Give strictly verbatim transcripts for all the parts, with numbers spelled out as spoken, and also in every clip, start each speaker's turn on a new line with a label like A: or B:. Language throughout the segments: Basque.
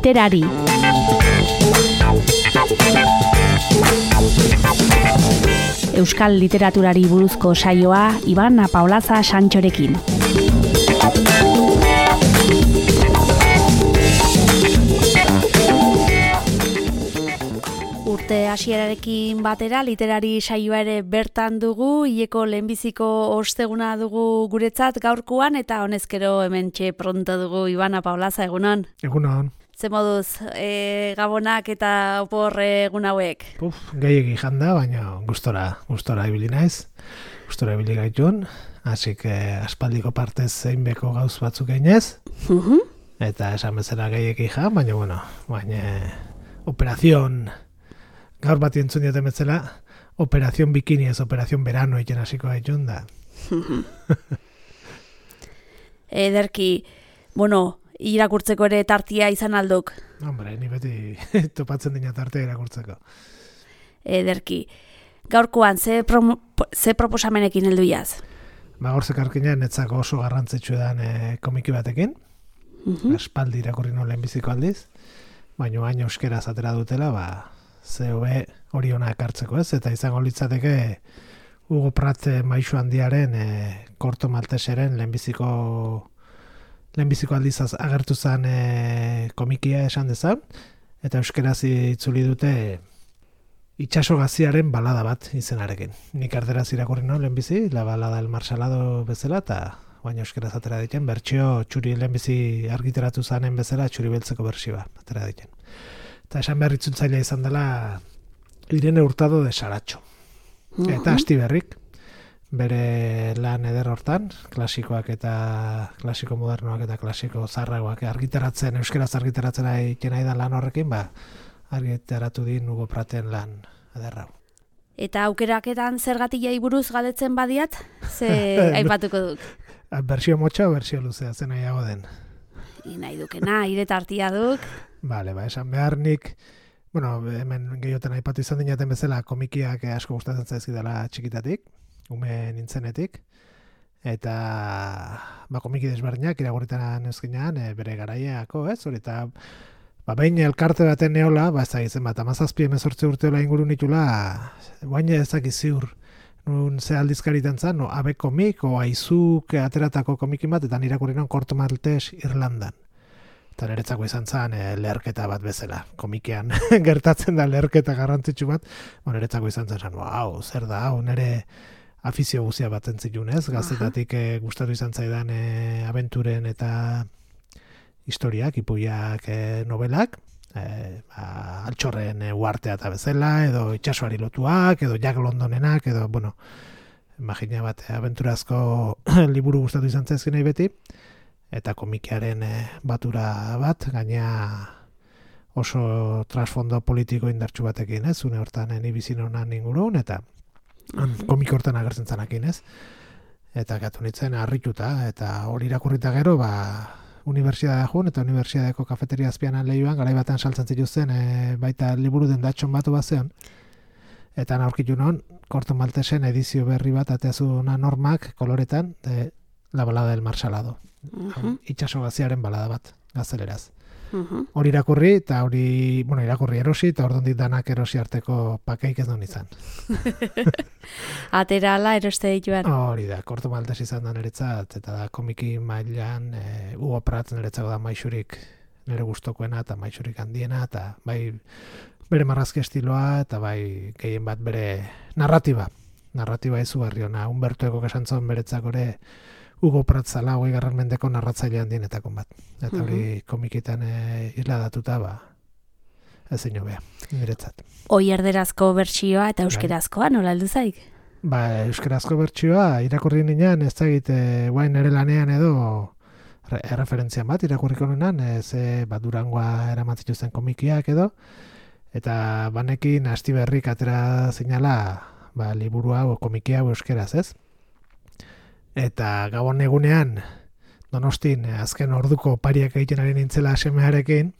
A: literari. Euskal literaturari buruzko saioa Iban Apaolaza Santxorekin. Urte hasierarekin batera literari saioa ere bertan dugu, hileko lehenbiziko osteguna dugu guretzat gaurkoan eta honezkero hementxe pronto dugu Iban Apaolaza, egunon.
B: Egunon.
A: Ze moduz, e, gabonak eta opor egun hauek?
B: Puf, gehiegi janda, baina gustora, gustora ibili naiz. Gustora ibili gaitun, hasi que aspaldiko partez zeinbeko gauz batzuk einez.
A: Uh-huh.
B: Eta esan bezala gehiegi jan, baina bueno, baina operazion gaur bat entzun dioten bezala, operazion bikini ez operazion verano egin hasiko gaitun da.
A: Ederki, bueno, irakurtzeko ere tartia izan alduk.
B: Hombre, ni beti topatzen dina tartea irakurtzeko.
A: Ederki, gaurkoan ze, pro, ze proposamenekin heldu jaz?
B: Ba, gorzek arkina netzako oso garrantzitsu edan e, komiki batekin. Uh-huh. Aspaldi irakurri no lehenbiziko aldiz, baina baina euskeraz atera dutela, ba, ze hobe hori ona ekartzeko ez, eta izango litzateke Hugo Pratt maisu handiaren e, Korto Malteseren lehenbiziko lehenbiziko aldizaz agertu zen e, komikia esan dezan, eta euskeraz itzuli dute itxaso gaziaren balada bat izenarekin. Nik erderaz irakurri no lehenbizi, la balada el marsalado bezala, eta baina euskeraz atera diken, bertsio txuri lehenbizi argiteratu zanen bezala, txuri beltzeko bertsioa atera diken. Eta esan behar itzultzailea izan dela Irene Hurtado de Saratxo. Uh-huh. Eta Astiberrik, bere lan eder hortan, klasikoak eta klasiko modernoak eta klasiko zarragoak argitaratzen, euskeraz argitaratzen egiten nahi da lan horrekin, ba, argitaratu din Hugo Pratten lan ederrau.
A: Eta aukeraketan zergatilei buruz galdetzen badiat, ze aipatuko duk?
B: Bersio motxa o bersio luzea, zen nahiago den?
A: I nahi dukena, iretartia duk.
B: Bale, ba, esan behar nik, bueno, hemen gehioten aipatu izan dinaten bezala komikiak asko gustatzen zaizkidala txikitatik, ume nintzenetik, eta ba, komiki desberdinak iragurritan ezkinean e, bere garaiako, ez? Hori eta ba, behin elkarte baten neola, ba, ez da izan bat, amazazpi emezortze urteola inguru nitula, bain ezak iziur, nun ze aldizkaritan zan, no, abe komik, o aizuk ateratako komikin bat, eta nirakurri non Korto Maltes Irlandan. Eta niretzako izan zen e, leherketa bat bezala. Komikean gertatzen da leherketa garrantzitsu bat, bon, niretzako izan zen, hau, zer da, hau, nire afizio guzia bat entzitun, ez? Gaztetatik e, gustatu izan zaidan e, abenturen eta historiak, ipuiak, e, novelak, e, ba, altxorren e, uartea eta bezala, edo itxasoari lotuak, edo Jack Londonenak, edo, bueno, imagina bat, e, abenturazko liburu gustatu izan zaizkin nahi beti, eta komikiaren e, batura bat, gaina oso trasfondo politiko indartsu batekin, ez? Une hortan ni bizin honan ingurun, eta komik hortan agertzen zanakin, ez? Eta gatu nintzen harrituta, eta hori irakurrita gero, ba, unibertsiadea jun, eta unibertsiadeko kafeteria azpian lehioan, garai batean saltzen zituzten, e, baita liburu den datxon batu bazean, eta aurkitu non, Korto Maltesen edizio berri bat, ateazuna normak, koloretan, de, la balada del marsalado. Uh-huh. Itxaso gaziaren balada bat, gazeleraz. Uh-huh. Hori irakurri, eta hori, bueno, irakurri erosi, eta ordondik danak erosi arteko pakeik ez duen izan.
A: Atera ala eroste dituan.
B: Hori da, Korto Maltes izan da niretzat, eta da komiki mailan, e, Hugo Pratt niretzako da maixurik nire gustokoena, eta maixurik handiena, eta bai bere marrazki estiloa, eta bai gehien bat bere narratiba. Narratiba izugarri ona, Humberto Ecok esan zon beretzako ere, Hugo Pratt zala, hogei garren mendeko narratzailean dienetako bat. Eta hori uh-huh. komikitan e, isladatuta, ba, ez ino beha, niretzat.
A: Hoi erderazko bertsioa eta euskerazkoa, nola heldu zaik?
B: Ba, euskerazko bertsioa, irakurri ninean, ez da egite, guain ere lanean edo, erreferentzian bat, irakurriko nenan, ez bat Durangoa eramatzen zen komikiak edo, eta banekin Astiberrik atera zinala, ba, liburua o komikia o euskeraz, ez? Eta gabon egunean, Donostin azken orduko pariak egiten ari nintzela semearekin,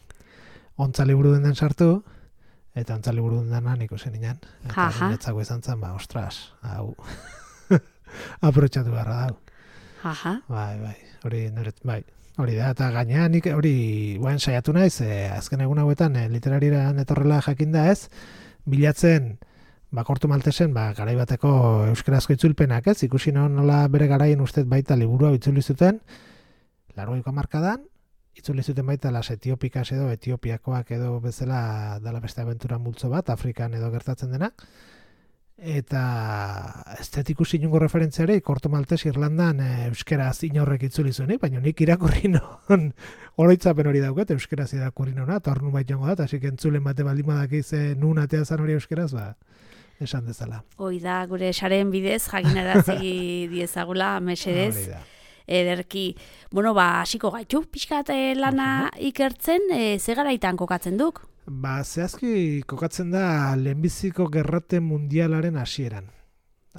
B: ontza liburu den sartu, eta ontza liburu den nik usen inan. Eta niretzako izan zen, ba, ostras, hau, aprotxatu beharra dau.
A: Aha.
B: Bai, bai, hori niret, bai, hori da, eta gainean nik hori guen saiatu naiz, e, azken egun hauetan e, literarian etorrela jakinda ez, bilatzen ba, Korto Maltesen ba, garaibateko euskarazko itzulpenak ez, ikusi nola bere garaien ustez baita liburua itzuli zuten, laurogeiko hamarkadan, itzuli zuten baita las etiopikas edo etiopiakoak edo bezala dala beste abentura multzo bat, Afrikan edo gertatzen denak, eta ez dut ikusi inongo referentziari Korto Maltes Irlandan e, euskeraz inorrek itzuli zuen, baina nik irakurri non oroitzapen hori dauket, euskeraz irakurri nona, eta hor nun bait jongo da, eta asik entzulen bate baldin badakiz e, nun atea zan hori euskeraz, ba, esan dezala.
A: Hoi da, gure saren bidez, jakinarazi diezagula, mesedez.
B: Hori da.
A: Ederki, bueno, ba, hasiko gaitu, pixkat lana ikertzen, e, ze garaitan kokatzen duk?
B: Ba, zehazki kokatzen da lehenbiziko gerrate mundialaren hasieran.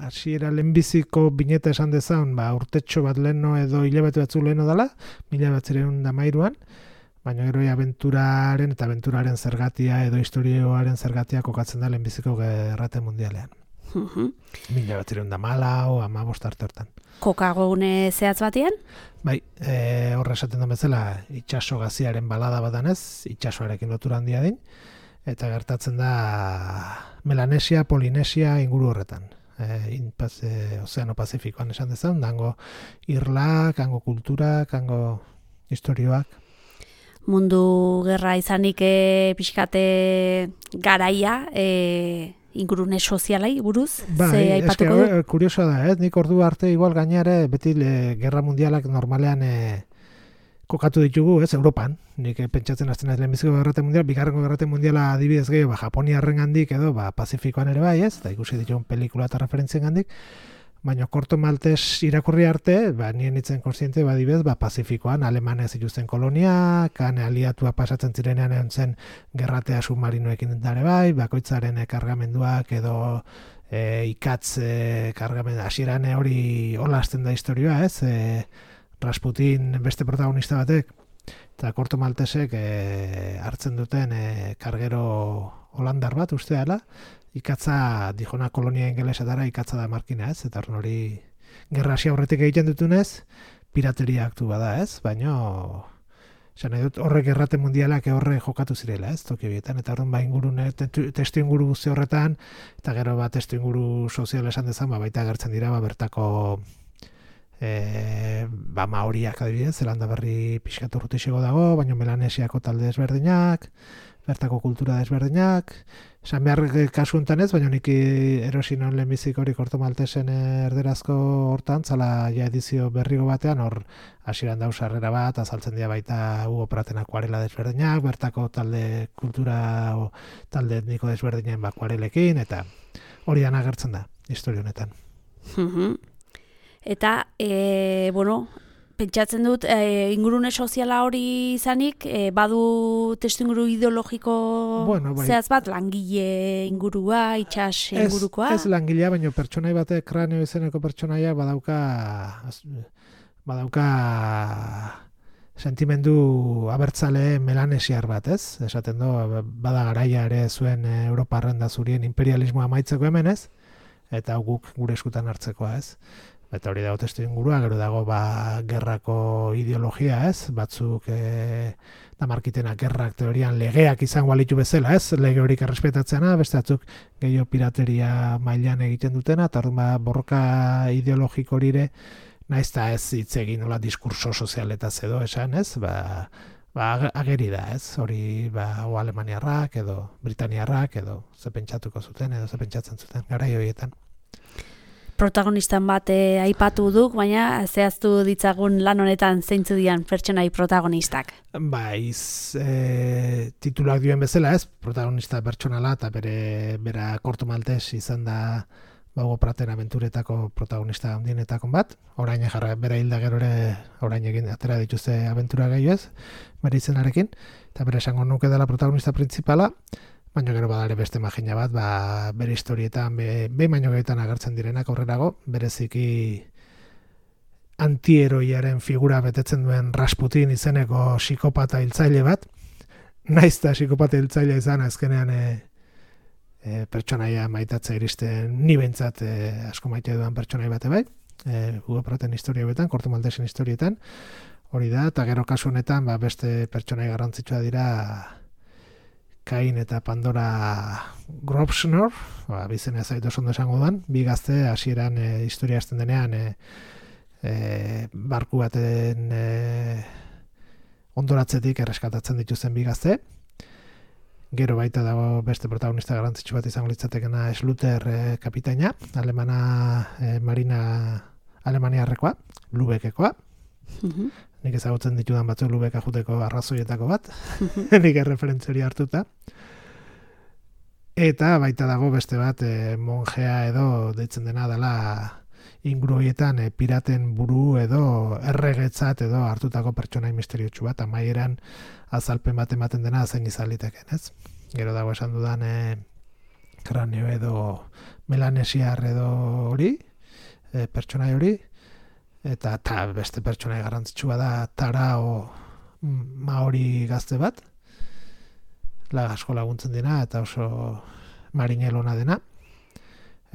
B: Hasiera lehenbiziko bineta esan dezan, ba, urtetxo bat leheno edo hilabete batzu leheno dela, mila batzireun da mairuan, baina gero abenturaren eta abenturaren zergatia edo historioaren zergatia kokatzen da lehenbiziko gerrate mundialean.
A: Uh-huh.
B: Mila batzireun da mala o ama bostarte hortan.
A: Kokagune zehatz batean?
B: Bai, e, horre esaten den bezala itxaso gaziaren balada badanez, itxasoarekin lotura handia din, eta gertatzen da Melanesia, Polinesia inguru horretan. E, inpaz, e, Ozeano Pazifikoan esan dezan, dango irlak, hango kulturak, hango historioak.
A: Mundu gerra izanik e, pixkate garaia, e, ingurune sozialai buruz,
B: ba,
A: ze aipatuko du?
B: Kuriosoa da, ez? Nik ordu arte igual gainare beti le, gerra mundialak normalean e, kokatu ditugu, ez, Europan. Nik e, pentsatzen hasten ez lehenbiziko gerrate mundial, bigarrengo gerrate mundiala adibidez gehiago, ba, Japoniarren gandik edo, ba, Pazifikoan ere bai, ez? Da ikusi ditugun pelikula eta referentzien gandik, baina Korto Maltes irakurri arte, ba, nien nitzen konstiente, ba, adibidez, ba, Pazifikoan Alemania zituzten kolonia, kan aliatua pasatzen zirenean egon zen gerratea submarinoekin dare bai, bakoitzaren kargamenduak edo e, ikatz e, kargamendu, hasieran hori hola hasten da historioa, ez? E, Rasputin beste protagonista batek, eta Korto Maltesek e, hartzen duten e, kargero holandar bat, uste dela, ikatza dijona kolonia ingelesetara ikatza da markina, ez? Eta hori gerra hasi aurretik egiten dutunez, pirateria aktu bada, ez? Baina esan nahi dut horrek gerrate mundialak horre jokatu zirela, ez? Toki horietan, eta horren ba ingurune, testu inguru guzti horretan, eta gero ba testu inguru sozial esan dezan, ba baita agertzen dira, ba bertako e, ba maoriak adibidez, Zelanda Berri pixkatu urtexego dago, baina Melanesiako talde desberdinak, bertako kultura desberdinak, esan behar kasu enten ez, baina nik erosi non lehenbizik hori Korto Maltesen erderazko hortan, zala ja edizio berrigo batean, hor hasieran dauz sarrera bat, azaltzen dira baita Hugo Praten akuarela desberdinak, bertako talde kultura o talde etniko desberdinen akuarelekin, eta hori dan agertzen da, historia honetan.
A: Eta, e, bueno, pentsatzen dut, e, ingurune soziala hori izanik, e, badu testu inguru ideologiko
B: bueno, bai.
A: zehaz bat, langile ingurua, itxas ingurukoa?
B: Ez, ez langilea, baina pertsonai batek kranio izeneko pertsonaia badauka badauka sentimendu abertzale melanesiar bat, ez? Esaten du, bada garaia ere zuen Europarren da zurien imperialismoa amaitzeko hemen, ez? Eta guk gure eskutan hartzekoa, ez? Eta hori dago testu ingurua, gero dago ba, gerrako ideologia, ez? Batzuk e, da markitenak gerrak teorian legeak izango balitu bezala, ez? Lege horik errespetatzeana, beste batzuk gehiago pirateria mailan egiten dutena, eta orduan ba, borroka ideologiko horire, naiz eta ez hitz egin nola diskurso sozialetaz edo esan, ez? Ba, ba, ageri da, ez? Hori ba, o alemaniarrak edo britaniarrak edo ze pentsatuko zuten edo ze pentsatzen zuten garai horietan.
A: Protagonistan bat e, aipatu duk, baina zehaztu ditzagun lan honetan zeintzu dian pertsonai protagonistak.
B: Baiz, e, tituluak dioen bezala, ez? Protagonista pertsonala eta bere bera Korto Maltes izan da Hugo Praten abenturetako protagonista handienetako bat. Orain jarra bere hilda gero ere orain egin atera dituzte abentura gehiago ez, bere izenarekin, eta bere esango nuke dela protagonista printzipala. Baina gero badare beste magina bat, ba, bere historietan, be, be baino gehietan agertzen direnak aurrerago, bereziki antieroiaren figura betetzen duen Rasputin izeneko psikopata hiltzaile bat, naiz eta psikopata hiltzaile izan azkenean e, e, pertsonaia maitatza iristen, ni behintzat e, asko maite duan pertsonai bate bai, e, Hugo Praten historioetan, Korto Maltesen historietan, hori da, eta gero kasu honetan ba, beste pertsonai garrantzitsua dira Kain eta Pandora Grobschner, ba, bizena zaitu oso ondo esango duan, bi gazte hasieran e, historia hasten denean e, e, barku baten e, ondoratzetik erreskatatzen dituzten bi gazte. Gero baita dago beste protagonista garrantzitsu bat izango litzatekena Schluter e, kapitaina, alemana e, marina alemaniarrekoa, Lübeckekoa. Mm-hmm. Nik ezagutzen ditudan batzuk Lübecka juteko arrazoietako bat, nik erreferentzia hori hartuta. Eta baita dago beste bat e, monjea edo deitzen dena dela inguru horietan e, piraten buru edo erregetzat edo hartutako pertsonai misteriotsu bat, amaieran azalpen bat ematen dena zein izan liteken, ez? Gero dago esan dudan e, kranio edo melanesiar edo hori, e, pertsonai hori, eta ta beste pertsonai garrantzitsua da Tarao Maori gazte bat, la asko laguntzen dena eta oso marinelona dena,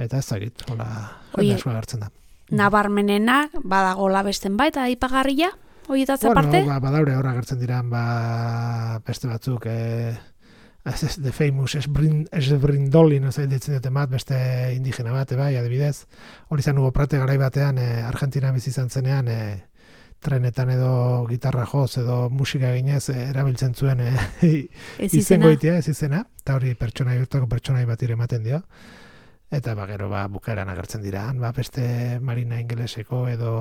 B: eta ez dakit, hola jende asko agertzen da.
A: Nabarmenena badagola besten baita aipagarria horietaz aparte?
B: Bueno, ba, badaure hor agertzen diran ba, beste batzuk eh, The Famous Esbrindoli, no zait ditzen dute bat, beste indigena bat, bai, adibidez. Hori zan Hugo Prate garai batean, eh, Argentina bizi izan zenean, eh, trenetan edo gitarra joz edo musika eginez eh, erabiltzen zuen eh, izango itea, ez izena, eta hori pertsonai urtako pertsonai bat ematen dio. Eta ba, gero ba, bukaeran agertzen dira, ba, beste marina ingeleseko edo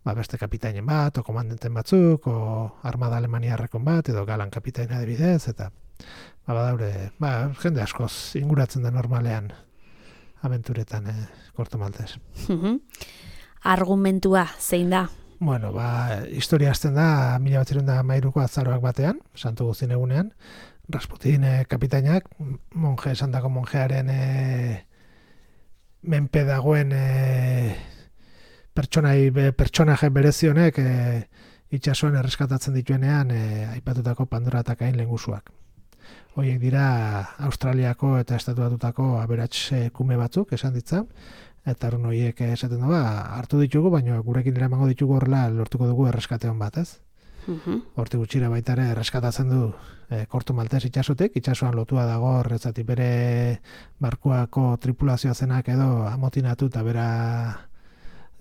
B: ba, beste kapitainen bat, o komandenten batzuk, o armada alemaniarrekon bat, edo galan kapitaina adibidez, eta ba, badaure, ba, jende askoz inguratzen da normalean abenturetan eh, Korto Maltez.
A: Argumentua, zein da?
B: Bueno, ba, historia hasten da, mila bat zirunda mairuko azaroak batean, Santu Guztin egunean, Rasputin eh, kapitainak, monje esandako monjearen eh, menpe dagoen eh, pertsonai pertsonaje berezionek e, itsasoan erreskatatzen dituenean e, aipatutako Pandora eta Kain lengusuak. Horiek dira Australiako eta Estatu Batutako aberats kume batzuk esan ditza, eta horren horiek esaten du, hartu ditugu, baina gurekin eramango ditugu horrela lortuko dugu erreskate hon bat, ez? Uh-huh. Hortik gutxira baita ere erreskatatzen du e, Korto Maltez itsasotik, itsasoan lotua dago horretzati bere barkuako tripulazioa zenak edo amotinatu eta bera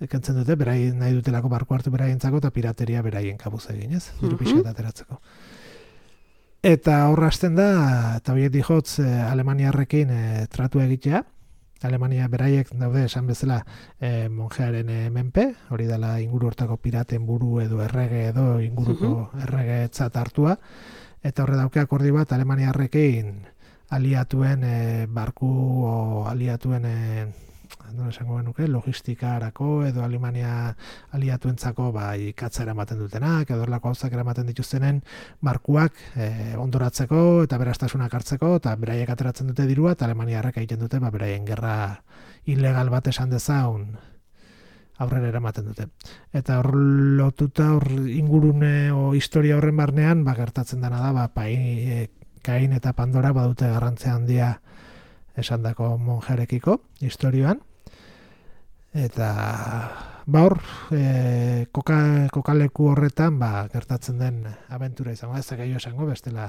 B: kentzen dute, beraien nahi dutelako barku hartu beraientzako eta pirateria beraien kabuz egin, ez? Diru pixka ateratzeko. Eta horra hasten da, eta horiek dijotz eh, Alemaniarrekin eh, tratu egitea. Alemania beraiek daude esan bezala eh, monjearen eh, menpe, hori dela inguru hortako piraten buru edo errege edo inguruko erregetzat hartua. Eta horre dauke akordi bat Alemaniarrekin aliatuen eh, barku o aliatuen eh, nola esango genuke, logistikarako edo Alemania aliatuentzako ba, ikatza eramaten dutenak, edo erlako gauzak eramaten dituztenen barkuak e, ondoratzeko eta berastasunak hartzeko, eta beraiek ateratzen dute dirua, eta Alemaniarrek egiten dute ba, beraien gerra ilegal bat esan dezaun aurrera eramaten dute. Eta hor lotuta hor ingurune o historia horren barnean, ba, gertatzen dena da, ba, pai, e, Kain eta Pandora badute garrantzia handia esandako monjerekiko historioan. Eta ba hor, e, koka, kokaleku horretan ba, gertatzen den abentura izango, ez da gehiago esango, bestela.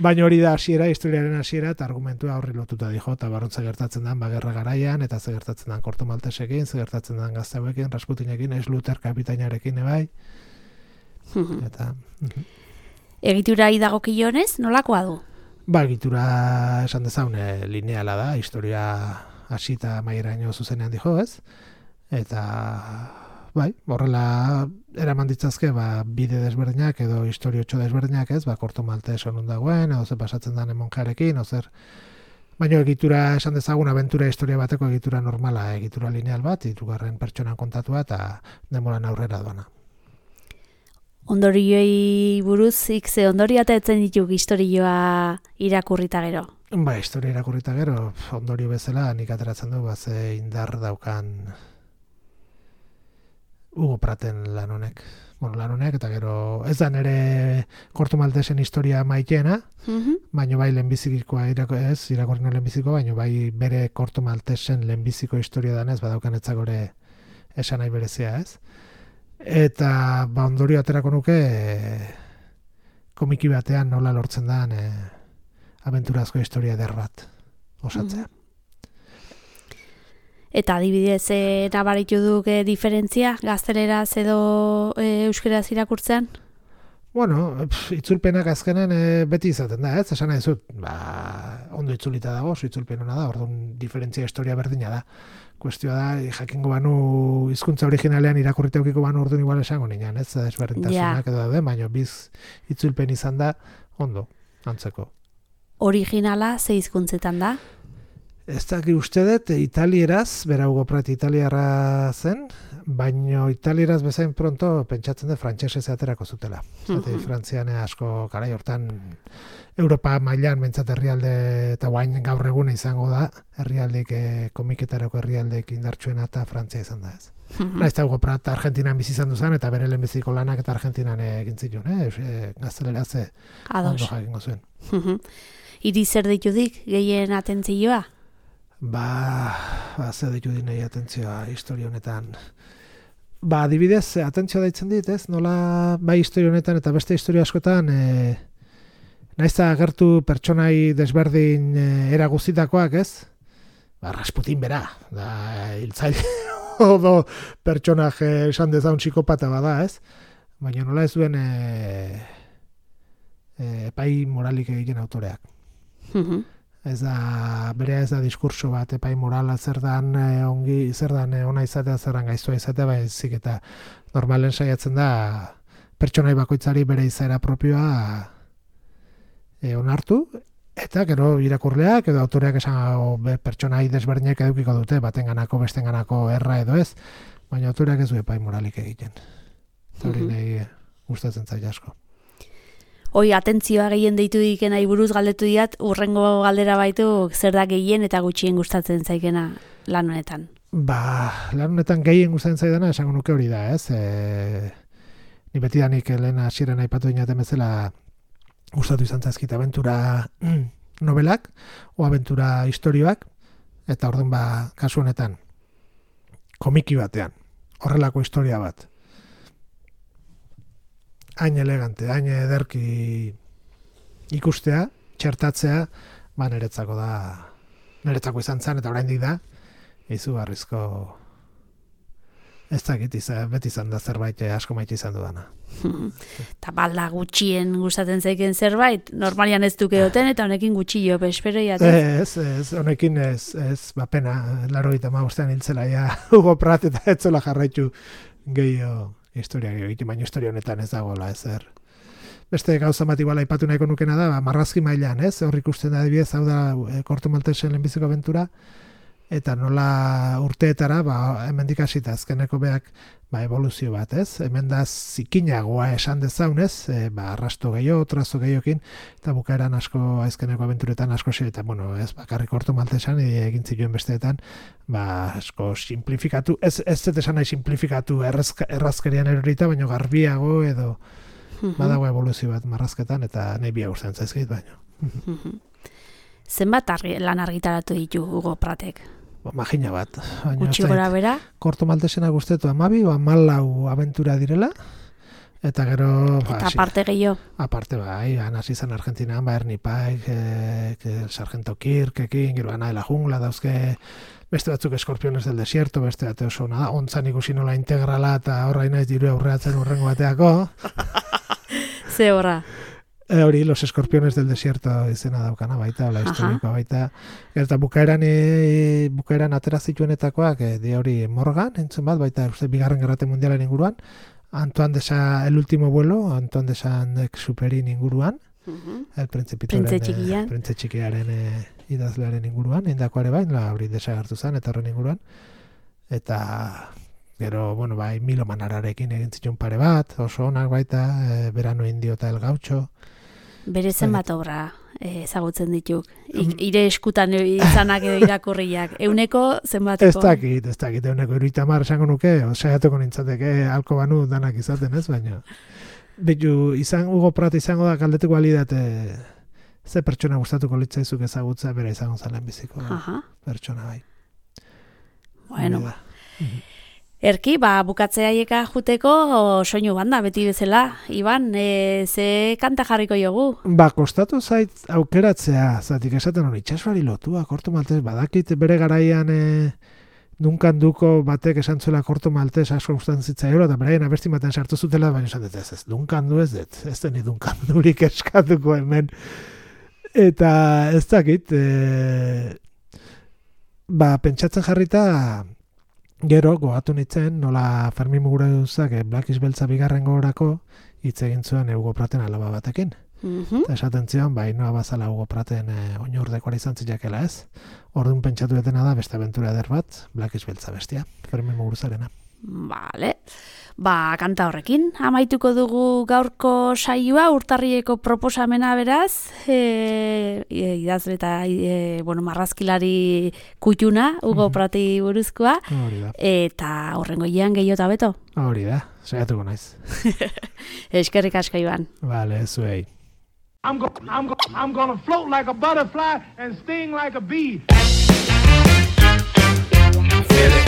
B: Baina hori da hasiera, historiaren hasiera, eta argumentua horri lotuta dijo, eta barrontza gertatzen den ba, gerra garaian, eta ze gertatzen den Korto Maltesekin, ze gertatzen den gazteuekin, Rasputinekin, Schluter kapitainarekin ebai. Eta...
A: Egitura idagokionez, nolakoa du?
B: Ba, egitura esan dezaun e, lineala da, historia hasita maieraino zuzenean dijo, ez? Eta, bai, horrela eraman ditzazke, ba, bide desberdinak edo historiotxo desberdinak, ez? Ba, Korto Maltez honun dagoen, edo zer pasatzen den monjarekin, edo zer... Baina egitura esan dezagun, abentura historia bateko egitura normala, egitura lineal bat, hirugarren pertsonan kontatua eta denboran aurrera doana.
A: Ondorioi buruz, ikze ondorio eta etzen dituk historioa irakurrita gero?
B: Ba, historia irakurrita gero, ondorio bezala nik ateratzen du, ba, ze indar daukan Hugo Praten lan honek. Bueno, lan honek, eta gero ez da nire Korto Maltesen historia maiteena, mm-hmm. baina bai lehenbizikoa irako, ez, irakorrino lehenbizikoa, baina bai bere Korto Maltesen lehenbiziko historia danez, badaukan etzagore esan nahi berezia, ez? Eta ba ondorio aterako nuke e, komiki batean nola lortzen dan e, abenturazko historia eder bat osatzea. Mm.
A: Eta adibidez, e, nabaritu duk e, diferentzia gazteleraz edo e, euskeraz irakurtzean?
B: Bueno, pff, itzulpenak azkenen e, beti izaten da, ez? Esan nahi zut, ba, ondo itzulita dago, oso itzulpen hona da, orduan diferentzia historia berdina da. Kuestioa da, jakingo banu hizkuntza originalean irakurrite eukiko banu orduan igual esango nian, ez? Desberdintasunak edo daude, baina biz itzulpen izan da, ondo, antzeko.
A: Originala ze hizkuntzetan da?
B: Ez dakit uste dut, italieraz, bera Hugo Pratt italiarra zen, baino italieraz bezain pronto pentsatzen dut frantsesez aterako zutela. Zate, mm-hmm. Frantzian asko garai hortan Europa mailan mentzat herrialde eta guain gaur eguna izango da, herrialdeek eh, komiketarako herrialdeek indartsuena eta Frantzia izan da ez. Mm-hmm. Naiz eta Hugo Pratt Argentinan bizi izan duzan eta bere lehenbiziko lanak eta Argentinan egin zituen, eh? E, gazteleraz ondo jakingo zuen.
A: Mm-hmm. Iri zer ditudik gehien atentzioa?
B: Ba, ba ze ditu dinei atentzioa historia honetan. Ba, adibidez, atentzioa daitzen dit, ez? Nola bai historia honetan eta beste historia askotan e, naizta agertu pertsonai desberdin e, era guztitakoak, ez? Ba, Rasputin bera, da hiltzaile odo pertsonaje esan dezaun psikopata bada, ez? Baina nola ez duen e, e, epai moralik egiten autoreak. Mhm. Ez da, berea ez da diskurso bat, epai morala zer dan eh, ongi, zer dan eh, ona izatea, zer dan gaiztua izatea, baizik eta normalen saiatzen da pertsonai bakoitzari bere izaera propioa eh, onartu, eta gero irakurleak edo autoreak esan be, pertsonai desberdinek edukiko dute, batenganako, bestenganako erra edo ez, baina autoreak ez du epai moralik egiten. Eta hori nahi gustatzen zait asko.
A: Hoi, atentzioa gehien deitu dikenai buruz galdetu diat, urrengo galdera baitu zer da gehien eta gutxien gustatzen zaikena lan honetan?
B: Ba, lan honetan gehien gustatzen zaidana esango nuke hori da, ez? E, ni betidanik lehen hasieran aipatu dinaten bezala gustatu izan zaizkit abentura novelak o abentura historioak, eta orduan ba, kasu honetan komiki batean, horrelako historia bat. Hain elegante, hain ederki ikustea, txertatzea, ba niretzako da, niretzako izan zen, eta oraindik da, izugarrizko ez dakit izan, beti izan da zerbait asko maite izan dudana.
A: Eta balda gutxien gustatzen zaiken zerbait, normalian ez duke duten, eta honekin gutxillo, bespero jatez?
B: Ez, ez, honekin ez, ez, ba pena, laro eta magustean hiltzela, ja, Hugo Pratt eta etzola jarraitu gehiago. Historia egiten, baina historia honetan ez dagoela ezer. Beste gauza bat igual aipatu nahiko nukena da, ba, marrazki mailan, ez? Hor ikusten da adibidez, hau da e, Korto Maltesen lehenbiziko abentura, eta nola urteetara, ba, hemendik hasita azkeneko beak, ba, evoluzio bat, ez? Hemen da zikinagoa esan dezaunez, e, ba, arrasto gehiago, trazo gehiokin, eta bukaeran asko, azkeneko abenturetan asko xe, eta, bueno, ez, bakarrik Korto Maltesan, egin zituen besteetan, ba, asko simplifikatu, ez, ez zet esan nahi simplifikatu errazkerian erorita, baina garbiago edo, badago evoluzio bat marrazketan, eta nahi bia guztien zaizkit, baina.
A: Zenbat argi, lan argitaratu ditu Hugo Prattek?
B: Magina bat.
A: Gutxi gora bera?
B: Korto Maltesena guztetu amabi, o amalau abentura direla, eta gero...
A: Eta ba, aparte gehiago?
B: Aparte bai, hasi zen Argentinan, ba, Ernie Pike, eh, el Sargento Kirk, ekin, gero Ana de la Jungla, dauzke beste batzuk Escorpiones del Desierto, beste bate oso nada, ontzan ikusi nola integrala, eta horra inaiz diru aurreatzen urrengo bateako.
A: Ze horra?
B: E, hori, Los Escorpiones del Desierto izena daukana baita, ola historikoa baita. Eta bukaeran, e, bukaeran atera zituenetakoak, e, di hori Morgan, entzun bat, baita uste, bigarren gerrate mundialen inguruan, Antoine de Sa, El último vuelo, Antoine de Saint-Exupérin inguruan, uh-huh. El Principitoren, e, Printze txikiaren e, idazlearen inguruan, indako ere bain, hori desagartu zen, eta horren inguruan. Eta... Gero, bueno, bai, Milo Manararekin egin zituen pare bat, oso onak baita, e, Verano Indio eta El Gaucho.
A: Bere zenbat obra ezagutzen dituk. I, ire eskutan izanak edo irakurriak. Euneko zenbateko?
B: Ez dakit, ez dakit. Euneko iruitamar esango nuke, saiatuko nintzateke alko banu danak izaten ez, baina. Betu, izan, Hugo Pratt izango da galdetuko alidate ze pertsona gustatuko litzaizuk ezagutza bere izango zalen biziko. Aha. Pertsona bai.
A: Bueno, Erki, ba, bukatzeiaieka juteko soinu banda, beti bezala. Iban, e, ze kanta jarriko jogu?
B: Ba, kostatu zait aukeratzea, zatik esaten hori itxasuari lotua, Korto Maltez, badakit bere garaian e, Dunkan duko batek esan zuela Korto Maltez asko gustatzen zitzaiola, eta beraien abesti baten sartu zutela, baina esan dut ez, ez, Dunkan du ez dut, ez deni Dunkan durik eskatuko hemen. Eta ez dakit, e, ba, pentsatzen jarrita, gero, goatu nintzen, nola Fermin Muguruzak Black is Beltza bigarren gogorako hitz egin zuen Hugo Praten alaba batekin.
A: Mm-hmm.
B: Eta esaten zion, ba, inoa bazala Hugo Praten e, oinurdekora izan zileakela ez. Orduan pentsatu detena da, beste aventura eder bat, Black is Beltza bestia, Fermin Muguruzarena.
A: Vale. Ba, kanta horrekin, amaituko dugu gaurko saioa, urtarrieko proposamena beraz, e, e, idazle eta e, bueno, marrazkilari kutxuna, Hugo Prati buruzkoa, eta horrengo ian gehiota beto.
B: Hori da, saiatuko naiz.
A: Eskerrik asko Iban.
B: Vale, zuei.
C: I'm, go I'm, go I'm gonna float like a butterfly and sting like a bee.
D: Feel it.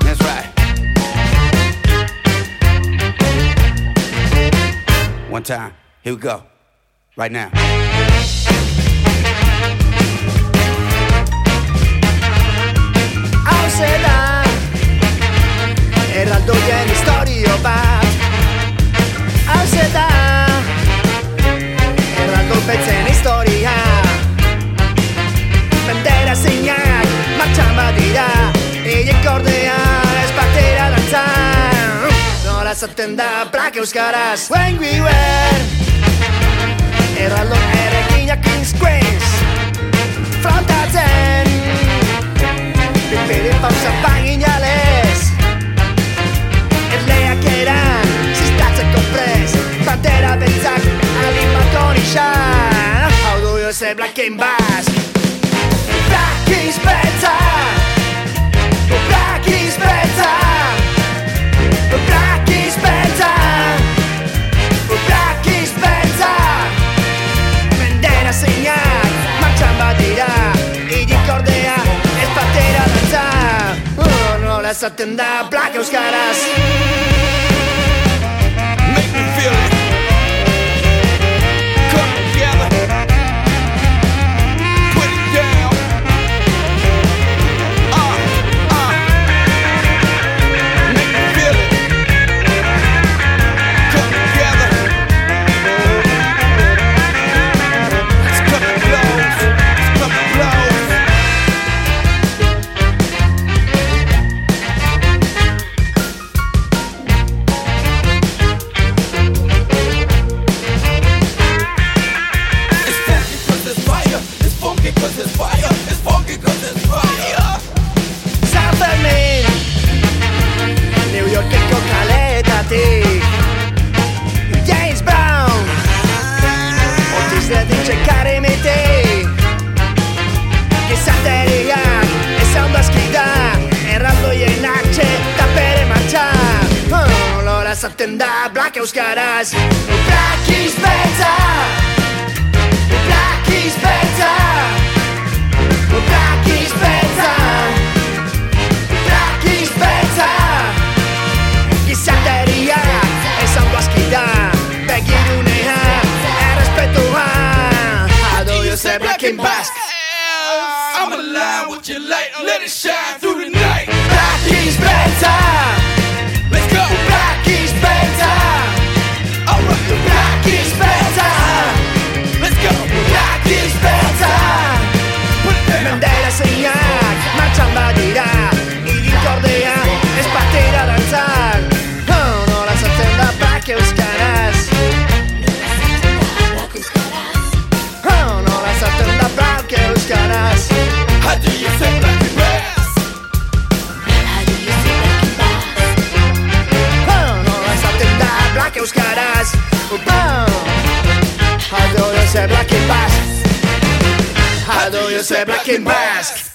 D: That's right. One time. Here we go. Right now.
E: Hau zeda erraldoien historio bat. Hau zeda erraldo betzen historia. Bandera zeinak martxan badira, eiek ordea ez batera dantzan. Nola zaten da Black euskaraz. When we were erraldo errekinak King's Queens frontatzen Bipiri pausa paginales Erleak eran Zistatzeko prez Bandera beltzak Alimako nixan Hau du jo ze Black and Basque Black is beltza Black is beltza Black is beltza Black is beltza Bandera zeinak martxan badira Idik ordea ez batera dantza oh, nola esaten da Black euskaraz.
D: Make me feel it. Come together. Put it down. Uh, uh. Make me feel it. Come together. Let's cut the clothes. Let's cut the clothes. Cause it's fire, it's funky cause it's fire.
E: San Fermin New Yorkeko kaletatik James Brown Otiz ledintxe karimetik Gizarteriak ez ondo askida Erraldoien atxe eta bere martxa oh, Lola zaten da Black euskaraz. Black is beltza Black is beltza Black is beltza Black is beltza Gizateriak ez ondo askida Begirunea errespetua How do you say Black and Basque?
D: I'm alive with your light, let it shine through the night.
E: Black is beltza
D: Let's go.
E: Black is beltza
D: Alright.
E: Black is beltza
D: Let's go.
E: Black is beltza Bandera zeinak martxan badira Idik ordea ez batera dantzan oh, nola zaten da Black euskaraz. Oh, nola zaten da Black euskaraz.
D: How do you say Black and Basque?
E: Oh, nola zaten da Black euskaraz. Oh, how do you say Black and Basque? How do you say Black and Basque?